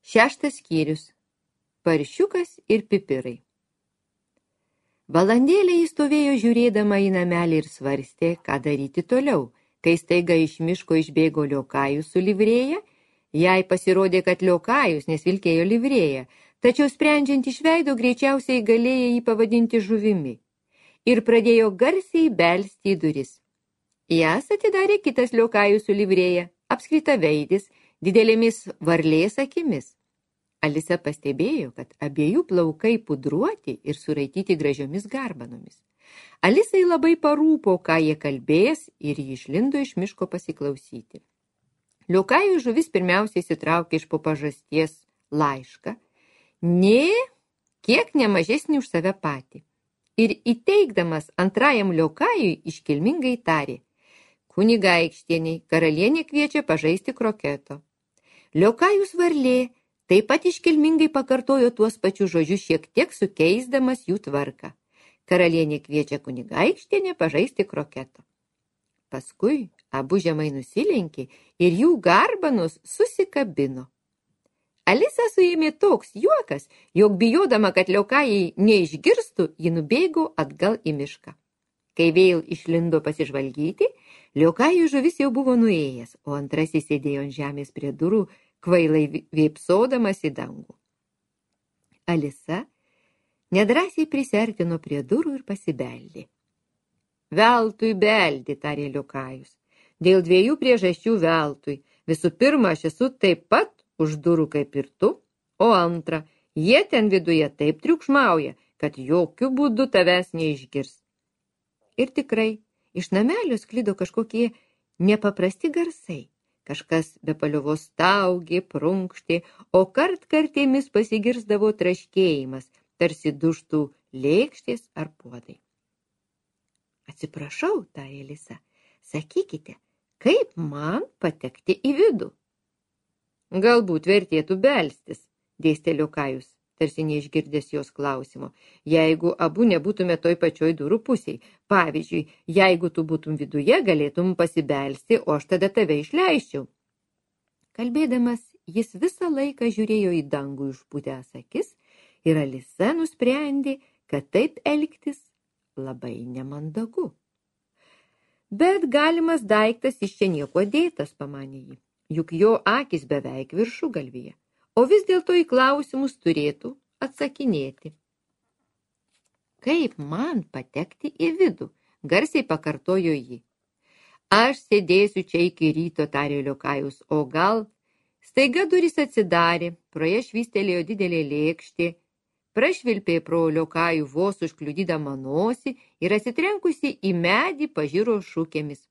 Šeštas skyrius. Paršiukas ir pipirai. Valandėlę jis stovėjo žiūrėdama į namelį ir svarstė, ką daryti toliau, kai staiga iš miško išbėgo Liokajus su livrėja. Jai pasirodė, kad Liokajus, nes vilkėjo livrėją, tačiau sprendžiant iš veido greičiausiai galėjo jį pavadinti žuvimi. Ir pradėjo garsiai belsti į duris. Jas atidarė kitas Liokajus su livrėja, apskritaveidis, didelėmis varlės akimis. Alisa pastebėjo, kad abiejų plaukai pudruoti ir suraityti gražiomis garbanomis. Alisai labai parūpo, ką jie kalbės, ir ji išlindo iš miško pasiklausyti. Liokajų žuvis pirmiausiai įsitraukė iš po pažasties laišką, kiek nemažesnį už save patį. Ir įteikdamas antrajam Liokajui iškilmingai tarė: kunigaikštieniai, karalienė kviečia pažaisti kroketo. Liokajus varlė taip pat iškilmingai pakartojo tuos pačius žodžius, šiek tiek sukeisdamas jų tvarką. Karalienė kviečia kunigaikštienę pažaisti kroketo. Paskui abu žemai nusilenkė ir jų garbanos susikabino. Alisą suėmė toks juokas, jog bijodama, kad Liokajai neišgirstų, ji nubėgo atgal į mišką. Kai vėl išlindo pasižvalgyti, Liokajų žuvis jau buvo nuėjęs, o antrasis sėdėjo ant žemės prie durų, kvailai vėpsodamas į dangų. Alisa nedrąsiai prisiartino prie durų ir pasibeldė. Veltui beldi, tarė Liokajus. Dėl dviejų priežasčių veltui. Visų pirma, aš esu taip pat už durų kaip ir tu, o antra, jie ten viduje taip triukšmauja, kad jokių būdų tavęs neišgirs. Ir tikrai, iš namelio sklido kažkokie nepaprasti garsai. Kažkas be paliovos staugė, prunkštė, o kartkartėmis pasigirsdavo traškėjimas, tarsi dužtų lėkštės ar puodai. Atsiprašau, tarė Alisa, sakykite, kaip man patekti į vidų? Galbūt vertėtų belstis, dėstė Liokajus, tarsi neišgirdęs jos klausimo, jeigu abu nebūtume toj pačioj durų pusėj. Pavyzdžiui, jeigu tu būtum viduje, galėtum pasibelsti, o aš tada tave išleisčiau. Kalbėdamas, jis visą laiką žiūrėjo į dangų išpūtęs akis ir Alisa nusprendė, kad taip elgtis labai nemandagu. Bet galimas daiktas iš čia nieko dėtas, pamanė ji, juk jo akis beveik viršugalvyje. O vis dėlto į klausimus turėtų atsakinėti. Kaip man patekti į vidų? Garsiai pakartojo ji. Aš sėdėsiu čia iki ryto, tarė Liokajus, o gal... Staiga durys atsidarė, pro ją švystelėjo didelė lėkštė, prašvilpė pro Liokajų vos užkliudydama nosį ir atsitrenkusi į medį pažiro šūkėmis.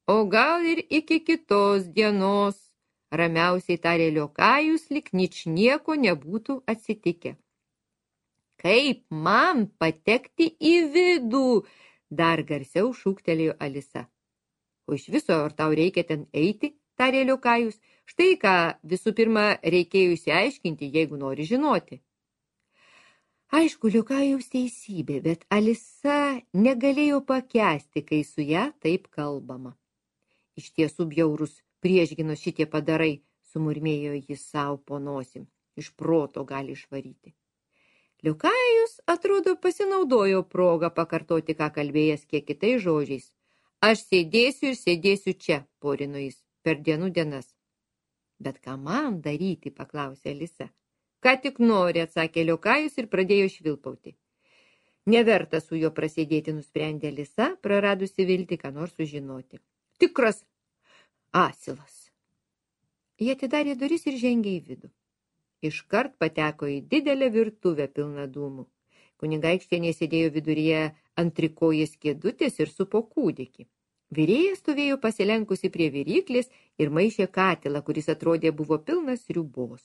O gal ir iki kitos dienos, ramiausiai tarė Liokajus, lyg ničnieko nebūtų atsitikę. Kaip man patekti į vidų? Dar garsiau šūktelėjo Alisa. O iš viso, ar tau reikia ten eiti, tarė Liokajus, štai ką visų pirma reikėjo išsiaiškinti, jeigu nori žinoti. Aišku, Liokajaus teisybė, bet Alisa negalėjo pakęsti, kai su ją taip kalbama. Iš tiesų bjaurus priešginos šitie padarai, sumurmėjo jis savo po nosim, iš proto gali išvaryti. Liokajus, atrodo, pasinaudojo progą pakartoti, ką kalbėjęs kiek kitais žodžiais. Aš sėdėsiu ir sėdėsiu čia, porino jis, per dienų dienas. Bet ką man daryti, paklausė Alisa. Ką tik nori, atsakė Liokajus ir pradėjo švilpauti. Neverta su juo prasėdėti, nusprendė Alisa, praradusi viltį, ką nors sužinoti. Tikras asilas. Jie atidarė duris ir žengė į vidų. Iškart pateko į didelę virtuvę pilną dūmų. Kunigaikštienė sėdėjo viduryje ant trikojės kėdutės ir supo kūdikį. Virėja stovėjo pasilenkusi prie viryklės ir maišė katilą, kuris atrodė buvo pilnas sriubos.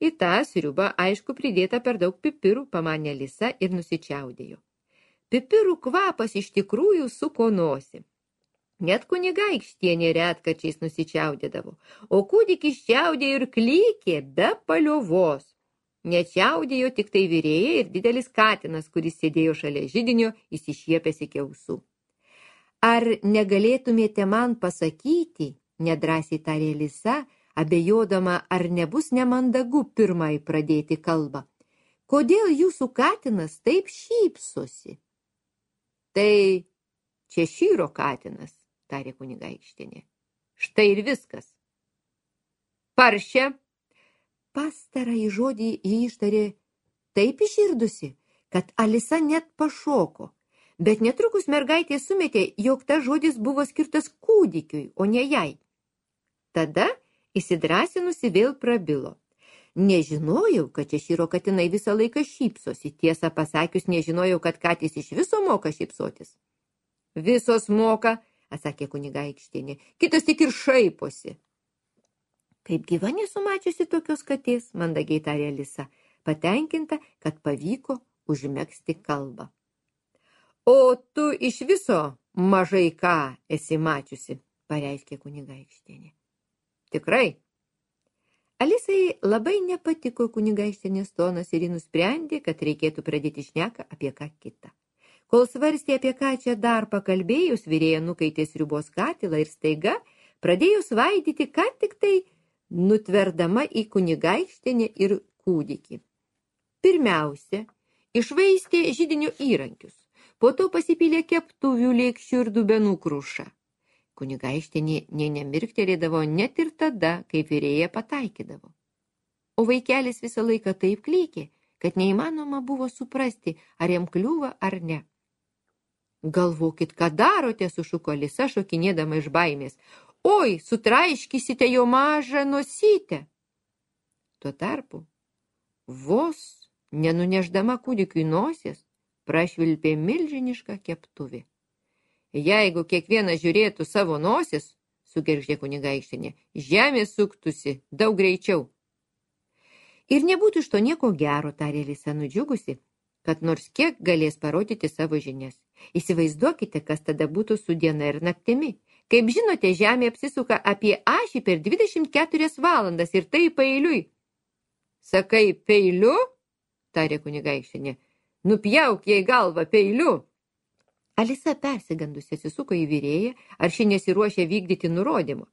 Į tą sriubą, aišku, pridėta per daug pipirų, pamanė Alisa ir nusičiaudėjo. Pipirų kvapas iš tikrųjų suko nosį. Net kunigaikštienė retkarčiais nusičiaudėdavo, o kūdikis čiaudėjo ir klykė be paliovos. Nečiaudėjo tik tai virėja ir didelis katinas, kuris sėdėjo šalia židinio, įsišiepęs iki ausų. Ar negalėtumėte man pasakyti, nedrąsiai tarė Alisa, abejodama, ar nebus nemandagu pirmai pradėti kalbą. Kodėl jūsų katinas taip šypsosi? Tai Češyro katinas, tarė kunigaikštienė. Štai ir viskas. Paršė. Pastarąjį žodį jį ištarė taip iširdusi, kad Alisa net pašoko, bet netrukus mergaitė sumetė, jog tas žodis buvo skirtas kūdikiui, o ne jai. Tada įsidrąsinusi vėl prabilo. Nežinojau, kad Češyro katinai visą laiką šypsosi. Tiesą pasakius, nežinojau, kad katės iš viso moka šypsotis. Visos moka, atsakė kunigaikštienė, kitos tik ir šaiposi. Kaip gyva nesumačiusi tokios katės, mandagiai tarė Alisa, patenkinta, kad pavyko užmegzti kalbą. O tu iš viso mažai ką esi mačiusi, pareiškė kunigaikštienė. Tikrai? Alisai labai nepatiko kunigaikštienės tonas ir ji nusprendė, kad reikėtų pradėti šneką apie ką kitą. Kol svarstė, apie ką čia dar pakalbėjus, virėja nukaitė sriubos katilą ir staiga pradėjo svaidyti, ką tik tai nutverdama į kunigaikštienę ir kūdikį. Pirmiausia, išvaistė židinių įrankius, po to pasipylė keptuvių, lėkščių ir dubenų krušą. Kunigaikštienė nė nemirktelėdavo net ir tada, kai virėja pataikydavo. O vaikelis visą laiką taip klykė, kad neįmanoma buvo suprasti, ar jam kliūva ar ne. Galvokit, ką darote, sušuko Alisa, šokinėdama iš baimės. Oi, sutraiškysite jo mažą nosytę. Tuo tarpu, vos nenuneždama kūdikiui nosies, prašvilpė milžinišką keptuvį. Jeigu kiekvienas žiūrėtų savo nosis, sugergždė kunigaikštienė, žemė suktųsi daug greičiau. Ir nebūtų iš to nieko gero, tarė Alisa nudžiugusi, kad nors kiek galės parodyti savo žinias. Įsivaizduokite, kas tada būtų su diena ir naktimi. Kaip žinote, žemė apsisuka apie ašį per 24 valandas ir tai paeiliui. Sakai, peiliu? Tarė kunigaikštienė. Nupjauk jai galvą peiliu. Alisa persigandusi atsisuko į virėją, ar ši nesiruošė vykdyti nurodymų.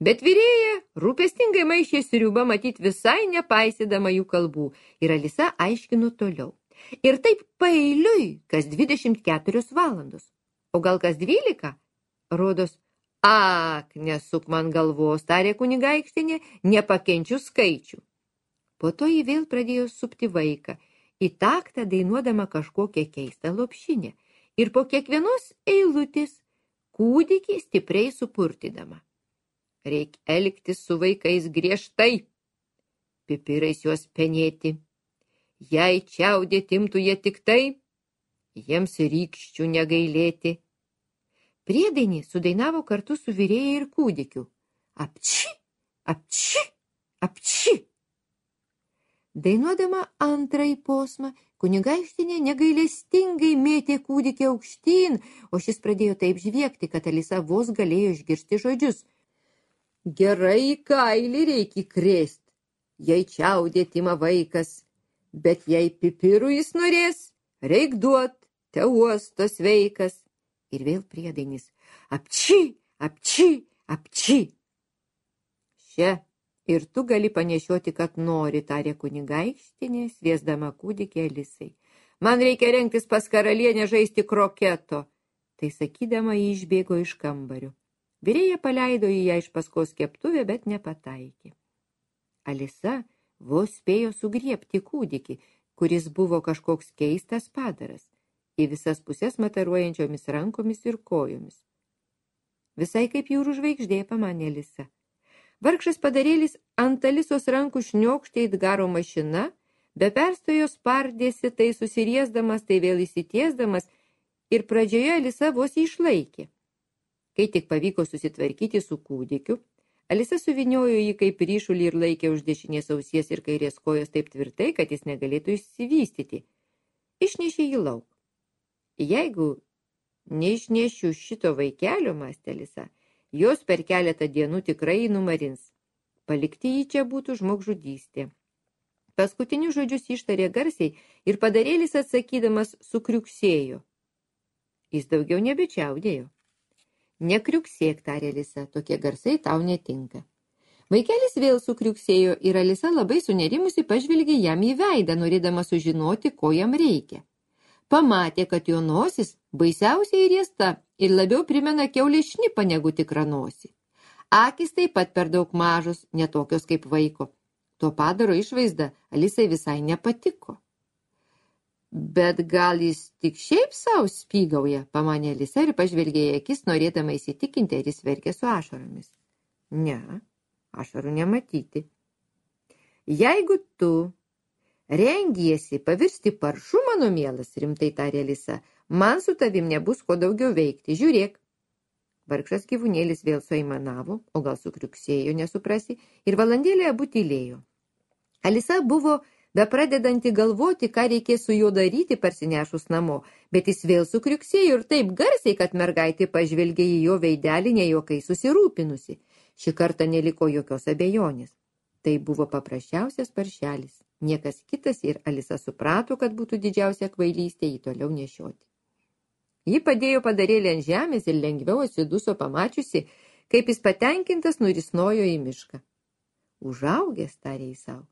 Bet virėja rūpestingai maišė sriubą, matyt visai nepaisydama jų kalbų, ir Alisa aiškino toliau. Ir taip paeiliui kas 24 valandos. O gal kas 12? Rodos, ak, nesuk man galvos, tarė kunigaikštienė, nepakenčiu skaičių. Po to ji vėl pradėjo supti vaiką, į taktą dainuodama kažkokią keistą lopšinę. Ir po kiekvienos eilutės kūdikį stipriai supurtydama. Reik elgtis su vaikais griežtai, pipirais juos penėti. Jei čiaudėti imtų jie tik tai, jiems rykščių negailėti. Priedainį sudainavo kartu su virėja ir kūdikiu. Apči, apči, apči. Dainuodama antrąjį posmą, kunigaikštienė negailestingai mėtė kūdikį aukštyn, o šis pradėjo taip žviegti, kad Alisa vos galėjo išgirsti žodžius. Gerai kailį reikia krėst, jei čiaudėti ima vaikas, bet jei pipirų jis norės, reik duot, te uosto sveikas. Ir vėl priedainis. Apči, apči, apči. Še. Ir tu gali panešioti, kad nori, tarė kunigaikštienė, sviesdama kūdikį Alisai. Man reikia rengtis pas karalienę žaisti kroketo. Tai sakydama, jį išbėgo iš kambario. Virėja paleido į ją iš paskos keptuvę, bet nepataikė. Alisa vos spėjo sugriebti kūdikį, kuris buvo kažkoks keistas padaras, į visas pusės mataruojančiomis rankomis ir kojomis. Visai kaip jūrų žvaigždė, pamanė Alisa. Vargšas padarėlis ant Alisos rankų šniokštė it garo mašina, be perstojo spardėsi, tai susiriesdamas, tai vėl įsitiesdamas, ir pradžioje Alisa vos išlaikė. Kai tik pavyko susitvarkyti su kūdikiu, Alisa suviniojo jį kaip ryšulį ir laikė už dešinės ausies ir kairės kojos taip tvirtai, kad jis negalėtų išsivystyti. Išnešė jį lauk. Jeigu neišnešiu šito vaikelio, mąstė Alisa, jos per keletą dienų tikrai numarins. Palikti jį čia būtų žmogžudystė. Paskutinius žodžius ištarė garsiai ir padarėlis atsakydamas sukriuksėjo. Jis daugiau nebečiaudėjo. Nekriuksėk, tarė Alisa, tokie garsai tau netinka. Vaikelis vėl sukriuksėjo ir Alisa labai sunerimusi pažvelgė jam į veidą, norėdama sužinoti, ko jam reikia. Pamatė, kad jo nosis baisiausiai riesta ir labiau primena kiaulės šnipą negu tikrą nosį. Akys taip pat per daug mažos, netokios kaip vaiko. To padaro išvaizda Alisai visai nepatiko. Bet gal jis tik šiaip savo spygauja, pamanė Alisa ir pažvelgė į akis, norėdama įsitikinti, ar jis verkia su ašaromis. Ne, ašarų nematyti. Jeigu tu rengiesi pavirsti paršu, mano mielas, rimtai tarė Alisa, man su tavim nebus ko daugiau veikti. Žiūrėk. Vargšas gyvūnėlis vėl suaimanavo, o gal sukriuksėjo, nesuprasi, ir valandėlę abu tylėjo. Alisa buvo bepradedanti galvoti, ką reikės su juo daryti parsinešus namo, bet jis vėl sukriuksėjo ir taip garsiai, kad mergaitė pažvelgė į jo veidelį nejuokai susirūpinusi. Šį kartą neliko jokios abejonės. Tai buvo paprasčiausias paršelis. Niekas kitas ir Alisa suprato, kad būtų didžiausia kvailystė jį toliau nešioti. Ji padėjo padarėlį ant žemės ir lengviau atsiduso pamačiusi, kaip jis patenkintas nurisnojo į mišką. Užaugęs, tarė jis savo.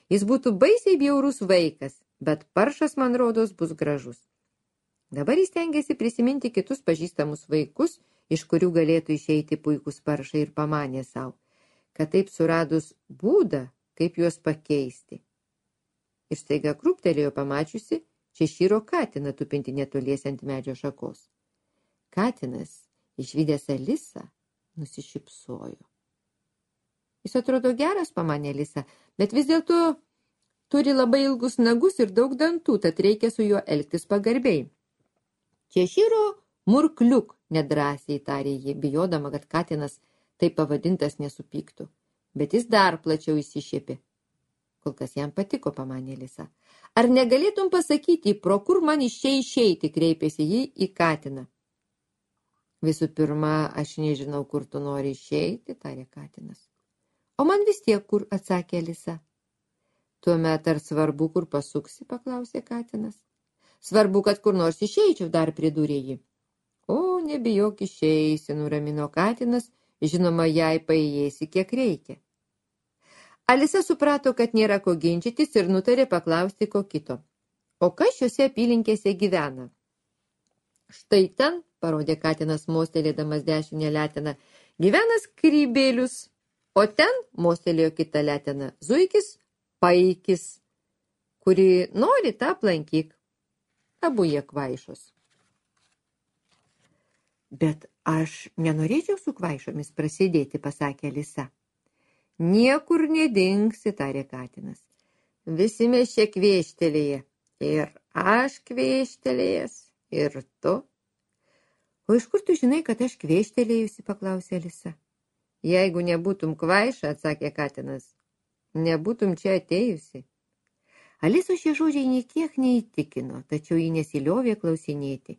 Jis būtų baisiai bjaurus vaikas, bet paršas, man rodos, bus gražus. Dabar jis stengiasi prisiminti kitus pažįstamus vaikus, iš kurių galėtų išeiti puikūs paršai ir pamanė savo, kad taip suradus būdą, kaip juos pakeisti. Ir staiga krūptelėjo pamačiusi Češyro katiną tupinti netoliese ant medžio šakos. Katinas, išvydęs Alisą, nusišypsojo. Jis atrodo geras, pamanė Alisa, bet vis dėlto turi labai ilgus nagus ir daug dantų, tad reikia su juo elgtis pagarbiai. Češyro murkliuk, nedrąsiai tarė ji, bijodama, kad katinas taip pavadintas nesupyktų, bet jis dar plačiau įsišiepė. Kol kas jam patiko, pamanė Alisa. Ar negalėtum pasakyti, pro kur man išeiti, kreipėsi jį į katiną. Visų pirma, aš nežinau, kur tu nori išeiti, tarė katinas. O man vis tiek kur, atsakė Alisa. Tuomet ar svarbu, kur pasuksi, paklausė katinas. Svarbu, kad kur nors išeičiau, dar pridūrė ji. O, nebijok išeisi, nuramino katinas, žinoma, jei paėjėsi, kiek reikia. Alisa suprato, kad nėra ko ginčytis ir nutarė paklausti ko kito. O kas šiuose apylinkėse gyvena? Štai ten, parodė katinas mostelėdamas dešinę leteną, gyvena Skrybėlius, o ten, mostelėjo kitą leteną, Zuikis Paikis, kuri nori tą aplankyk. Abu jie kvaišos. Bet aš nenorėčiau su kvaišomis prasidėti, pasakė Alisa. Niekur nedingsi, tarė katinas. Visi mes čia kvėštelėję. Ir aš kvėštelėjęs, ir tu. O iš kur tu žinai, kad aš kvėštelėjusi, paklausė Alisa. Jeigu nebūtum kvaiša, atsakė katinas, nebūtum čia atėjusi. Alisos šie žodžiai niekiek neįtikino, tačiau ji nesiliovė klausinėti.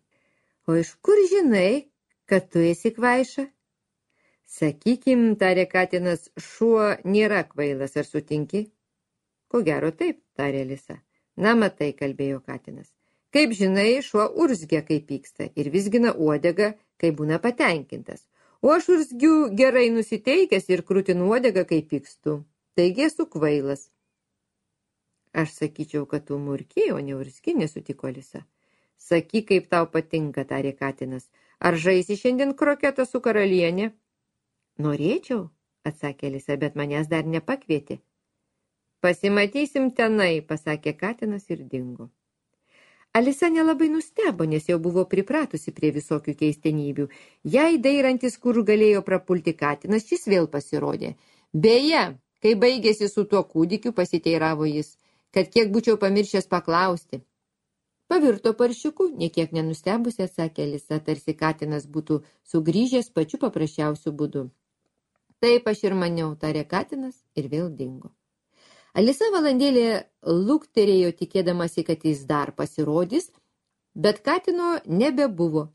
O iš kur žinai, kad tu esi kvaiša? Sakykim, tarė katinas, šuo nėra kvailas, ar sutinki? Ko gero taip, tarė Alisa. Na, matai, kalbėjo katinas. Kaip žinai, šuo urzgia, kai pyksta, ir vizgina uodegą, kai būna patenkintas. O aš urzgiu gerai nusiteikęs ir krūtinu uodegą, kai pykstu. Taigi esu kvailas. Aš sakyčiau, kad tu murki, o ne urzgi, nesutiko Alisa. Sakyk, kaip tau patinka, tarė katinas. Ar žaisi šiandien kroketą su karalienė? Norėčiau, atsakė Alisa, bet manęs dar nepakvietė. Pasimatysim tenai, pasakė katinas ir dingo. Alisa nelabai nustebo, nes jau buvo pripratusi prie visokių keistenybių. Jei dairantis, kur galėjo prapulti katinas, šis vėl pasirodė. Beje, kai baigėsi su tuo kūdikiu, pasiteiravo jis, kad kiek būčiau pamiršęs paklausti. Pavirto paršiuku, niekiek nenustebusi, atsakė Alisa, tarsi katinas būtų sugrįžęs pačiu paprasčiausiu būdu. Taip aš ir maniau, tarė katinas ir vėl dingo. Alisa valandėlė lukterėjo, tikėdamasi, kad jis dar pasirodys, bet katino nebebuvo.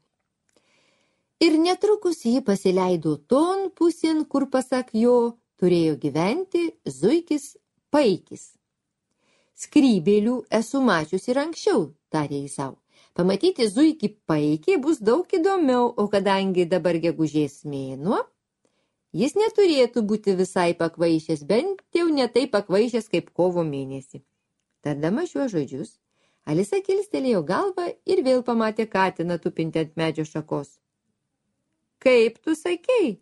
Ir netrukus jį pasileido ton pusėn, kur, pasak jo, turėjo gyventi Zuikis Paikis. Skrybėlių esu mačius ir anksčiau, tarė jis savo. Pamatyti Zuikį Paikį bus daug įdomiau, o kadangi dabar gegužės mėnuo, Jis neturėtų būti visai pakvaišęs, bent jau ne taip pakvaišęs kaip kovo mėnesį. Tardama šiuos žodžius, Alisa kilstelėjo galvą ir vėl pamatė katiną tupintį ant medžio šakos. Kaip tu sakei?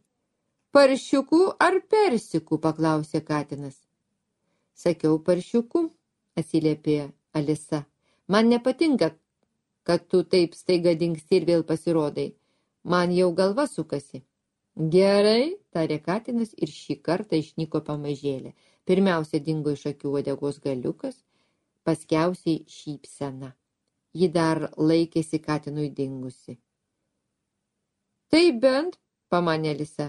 Paršiukų ar persikų, paklausė katinas. Sakiau paršiukų, atsiliepė Alisa. Man nepatinka, kad tu taip staiga dingsti ir vėl pasirodai. Man jau galva sukasi. Gerai, tarė katinas ir šį kartą išnyko pamažėlė. Pirmiausia dingo iš akių uodegos galiukas, paskiausiai šypsena. Ji dar laikėsi katinui dingusi. Tai bent, pamanė Alisa,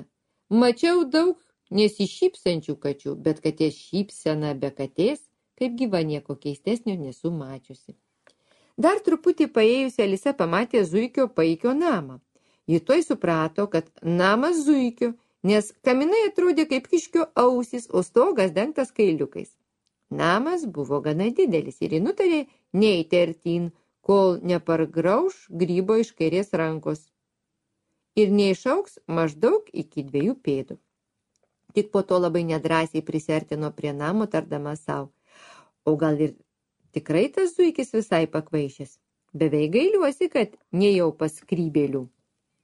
mačiau daug nesišypsančių kačių, bet katės šypsena be katės, kaip gyva nieko keistesnio nesu mačiusi. Dar truputį paėjusi Alisa pamatė zuikio paikio namą. Ji tuoj suprato, kad namas zuikio, nes kaminai atrodė kaip kiškio ausys, o stogas dengtas kailiukais. Namas buvo gana didelis ir ji nutarė neiti artyn, kol nepargrauš grybo iš kairės rankos ir neišauks maždaug iki 2 pėdų. Tik po to labai nedrąsiai prisiartino prie namo, tardama savo. O gal ir tikrai tas zuikis visai pakvaišęs? Beveik gailiuosi, kad nejau pas skrybėlių.